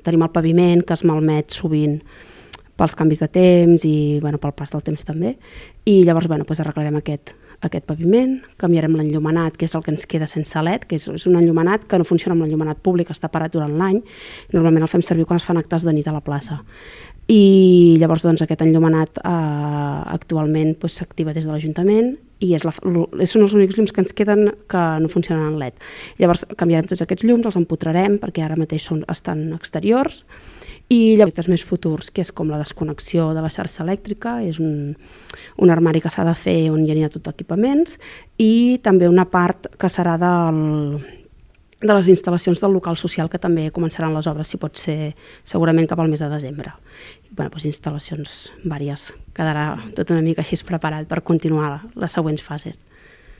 Tenim el paviment que es malmet sovint pels canvis de temps i pel pas del temps també, i llavors arreglarem aquest paviment, canviarem l'enllumenat, que és el que ens queda sense LED, que és un enllumenat que no funciona amb l'enllumenat públic, està parat durant l'any, normalment el fem servir quan es fan actes de nit a la plaça. I llavors aquest enllumenat actualment s'activa des de l'Ajuntament i són els únics llums que ens queden que no funcionen en LED. Llavors canviarem tots aquests llums, els empotrarem perquè ara mateix estan exteriors, i projectes més futurs, que és com la desconnexió de la xarxa elèctrica, és un armari que s'ha de fer on hi anirà tot equipaments, i també una part que serà de les instal·lacions del local social, que també començaran les obres, si pot ser segurament cap al mes de desembre. Instal·lacions vàries, quedarà tot una mica així preparat per continuar les següents fases.